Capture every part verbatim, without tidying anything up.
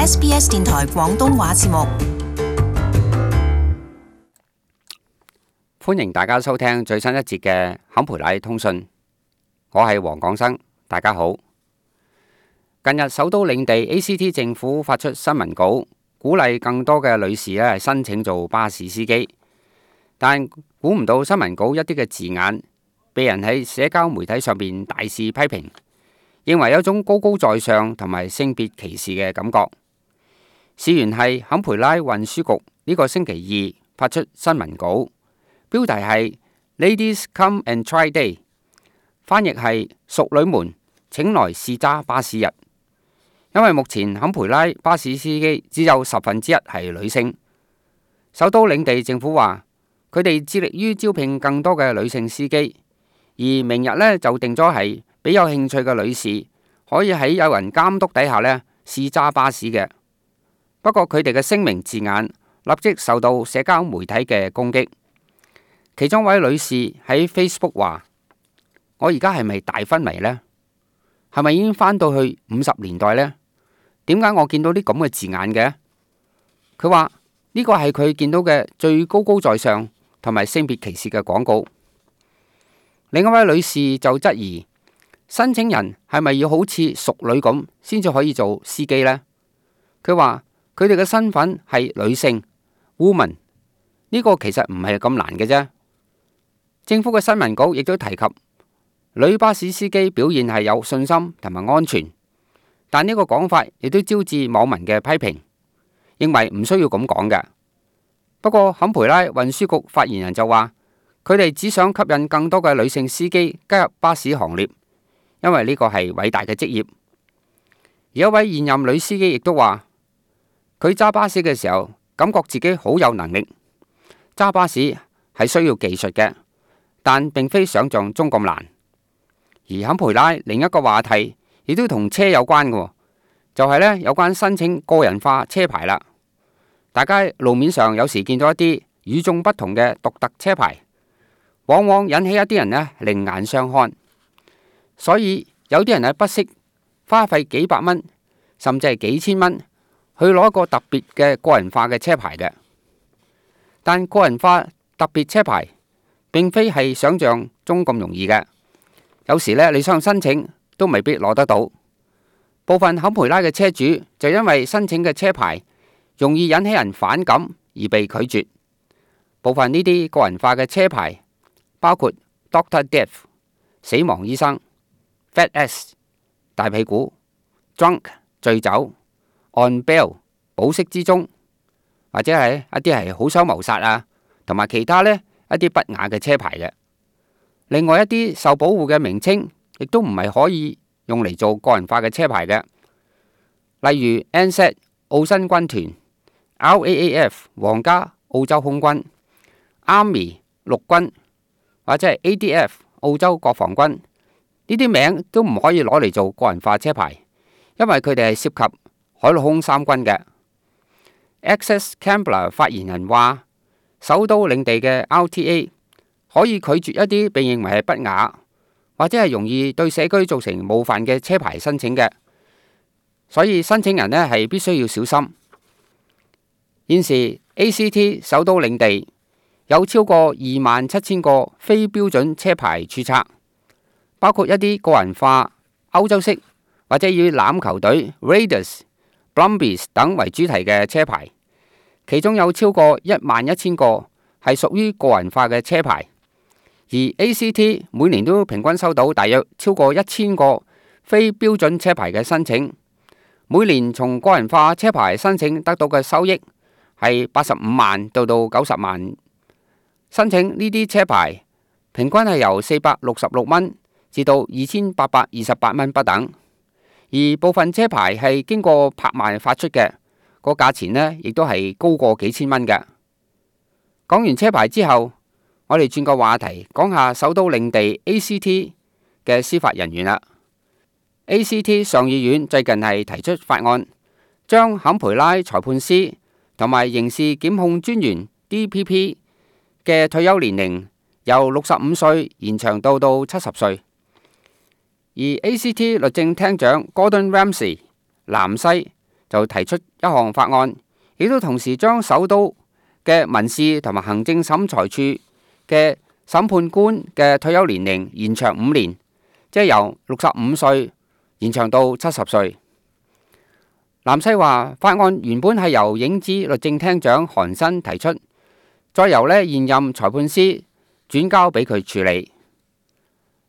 S B S 電台廣東話節目。歡迎大家收聽最新一節嘅坎培拉通訊，我係黃廣生，大家好。近日首都領地 A C T 政府發出新聞稿，鼓勵更多嘅女士咧申請做巴士司機，但估唔到新聞稿一啲嘅字眼，被人喺社交媒體上邊大肆批評，認為有種高高在上同埋性別歧視嘅感覺。事源係坎培拉運輸局呢個星期二發出新聞稿，標題係 Ladies Come and Try Day， 翻譯係淑女們請來試揸巴士日。因為目前坎培拉巴士司機只有十分之一係女性，首都領地政府話佢哋致力於招聘更多嘅女性司機，而明日呢就定咗係俾有興趣嘅女士可以喺有人監督底下呢試揸巴士嘅。不過佢哋嘅聲明字眼立即受到社交媒體嘅攻擊，其中一位女士喺 Facebook 話：我而家係咪大昏迷呢？係咪已經返到去五十年代呢？點解我見到啲咁嘅字眼嘅？佢話呢個係佢見到嘅最高高在上同埋性別歧視嘅廣告。另一位女士就質疑申請人係咪要好似淑女咁先至可以做司機呢？佢話佢哋嘅身份係女性 woman， 呢個其實唔係咁難嘅啫。政府嘅新聞稿亦都提及女巴士司機表現係有信心同埋安全。但呢個講法亦都招致網民嘅批評，認為唔需要咁講嘅。不過坎培拉運輸局發言人就話，佢哋只想吸引更多嘅女性司機加入巴士行列，因為呢個係偉大嘅職業。而一位現任女司機亦都話，佢揸巴士嘅時候感覺自己好有能力。揸巴士係需要技術嘅，但並非想象中咁難。而坎培拉另一個話題亦都同車有關嘅，就係呢有關申請個人化車牌啦。大家路面上有時見到一啲與眾不同嘅獨特車牌，往往引起一啲人呢另眼相看。所以有啲人呢不惜花費幾百蚊，甚至係幾千蚊去攞一個特別嘅個人化嘅車牌嘅。但個人化特別車牌並非係想象中咁容易嘅，有時呢你想申請都未必攞得到。部分坎培拉嘅車主就因為申請嘅車牌容易引起人反感而被拒絕。部分呢啲個人化嘅車牌包括 Doctor Death 死亡醫生、Fat Ass 大屁股、Drunk 醉酒、On Bail 保釋之中，或者係一啲係好想謀殺啊，同埋其他呢一啲不雅嘅車牌嘅。另外一啲受保護嘅名稱亦都唔係可以用嚟做個人化嘅車牌嘅，例如 N Z 澳新軍團、R A A F 皇家澳洲空軍、Army 陸軍或者係 A D F 澳洲國防軍，呢啲名都唔可以攞嚟做個人化車牌，因為佢哋係涉及海陸空三軍嘅。Access Canberra 發言人話，首都領地嘅 R T A 可以拒絕一啲被認為係不雅或者係容易對社區造成冒犯嘅車牌申請嘅，所以申請人呢係必須要小心。現時 A C T 首都領地有超過二萬七千個非標準車牌註冊，包括一啲個人化、歐洲式或者以欖球隊 Raiders、Brumbies 等為主題嘅車牌，其中有超過一萬一千個係屬於個人化嘅車牌。而 A C T 每年都平均收到大約超過一千個非標準車牌嘅申請，每年從個人化車牌申請得到嘅收益係八十五萬到到九十萬。申請呢啲車牌平均係由四百六十六蚊至到二千八百二十八蚊不等，而部分車牌係經過拍賣發出嘅，個價錢呢亦都係高過幾千蚊嘅。講完車牌之後，我哋轉個話題，講下首都領地 A C T 嘅司法人員啦。A C T 上議院最近係提出法案，將坎培拉裁判司同埋刑事檢控專員 D P P 嘅退休年齡由六十五歲延長到到七十歲。而 A C T 律政廳長 Gordon Ramsay 南西就提出一項法案，亦都同時將首都嘅民事同埋行政審裁處嘅審判官嘅退休年齡延長五年，即係由六十五歲延長到七十歲。南西話法案原本係由影子律政廳長韓新提出，再由呢現任裁判司轉交俾佢處理。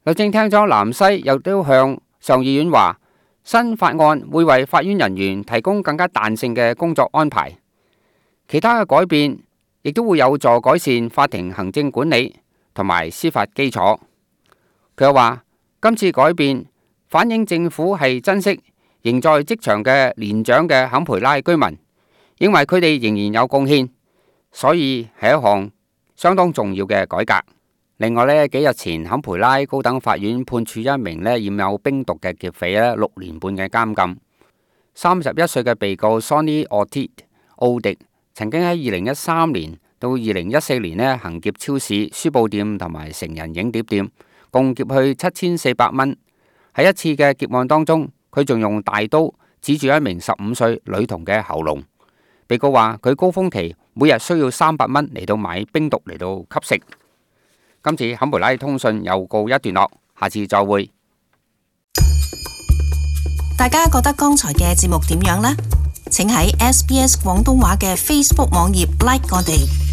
律政廳長南西又都向上議院話，新法案會為法院人員提供更加彈性嘅工作安排，其他嘅改變亦都會有助改善法庭行政管理同埋司法基礎。佢又話，今次改變反映政府係珍惜仍在職場嘅年長嘅坎培拉居民，認為佢哋仍然有貢獻，所以係一項相當重要嘅改革。另外呢，幾日前坎培拉高等法院判處一名呢染有冰毒嘅劫匪呢六年半嘅監禁。三十一歲嘅被告 Sonny Ortiz 奧迪曾經喺二零一三年到二零一四年呢行劫超市、書報店同埋成人影碟店，共劫去七千四百蚊。喺一次嘅劫案當中，佢仲用大刀指住一名十五歲女童嘅喉嚨。被告話佢高峰期每日需要三百蚊嚟到買冰毒嚟到吸食。今次坎培拉通訊又告一段落，下次再會。大家覺得剛才嘅節目點樣呢？請喺 S B S 廣東話嘅 Facebook 網頁 like 我哋。